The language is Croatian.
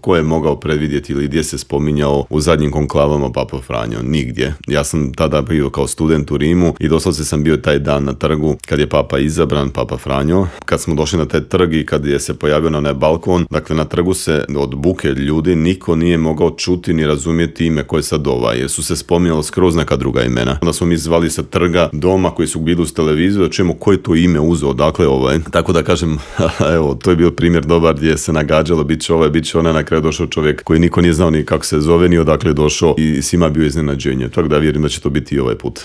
Ko je mogao predvidjeti ili gdje se spominjao u zadnjim konklavama Papa Franjo? Nigdje. Ja sam tada bio kao student u Rimu i doslovce sam bio taj dan na trgu kad je Papa izabran, Papa Franjo. Kad smo došli na taj trg i kad je se pojavio na onaj balkon, dakle na trgu se od buke ljudi niko nije mogao čuti ni razumjeti ime koje sad jer su se spominjalo skroz neka druga imena. Onda smo mi zvali sa trga doma koji su bili uz televiziju da čujemo koje to ime uzeo, dakle Tako da kažem, evo, to je bio primjer dobar gdje se nagađalo, bit će onaj, na kraju došao čovjek koji niko nije znao ni kako se zove, ni odakle je došao i svima bio iznenađenje. Tako da vjerujem da će to biti i ovaj put.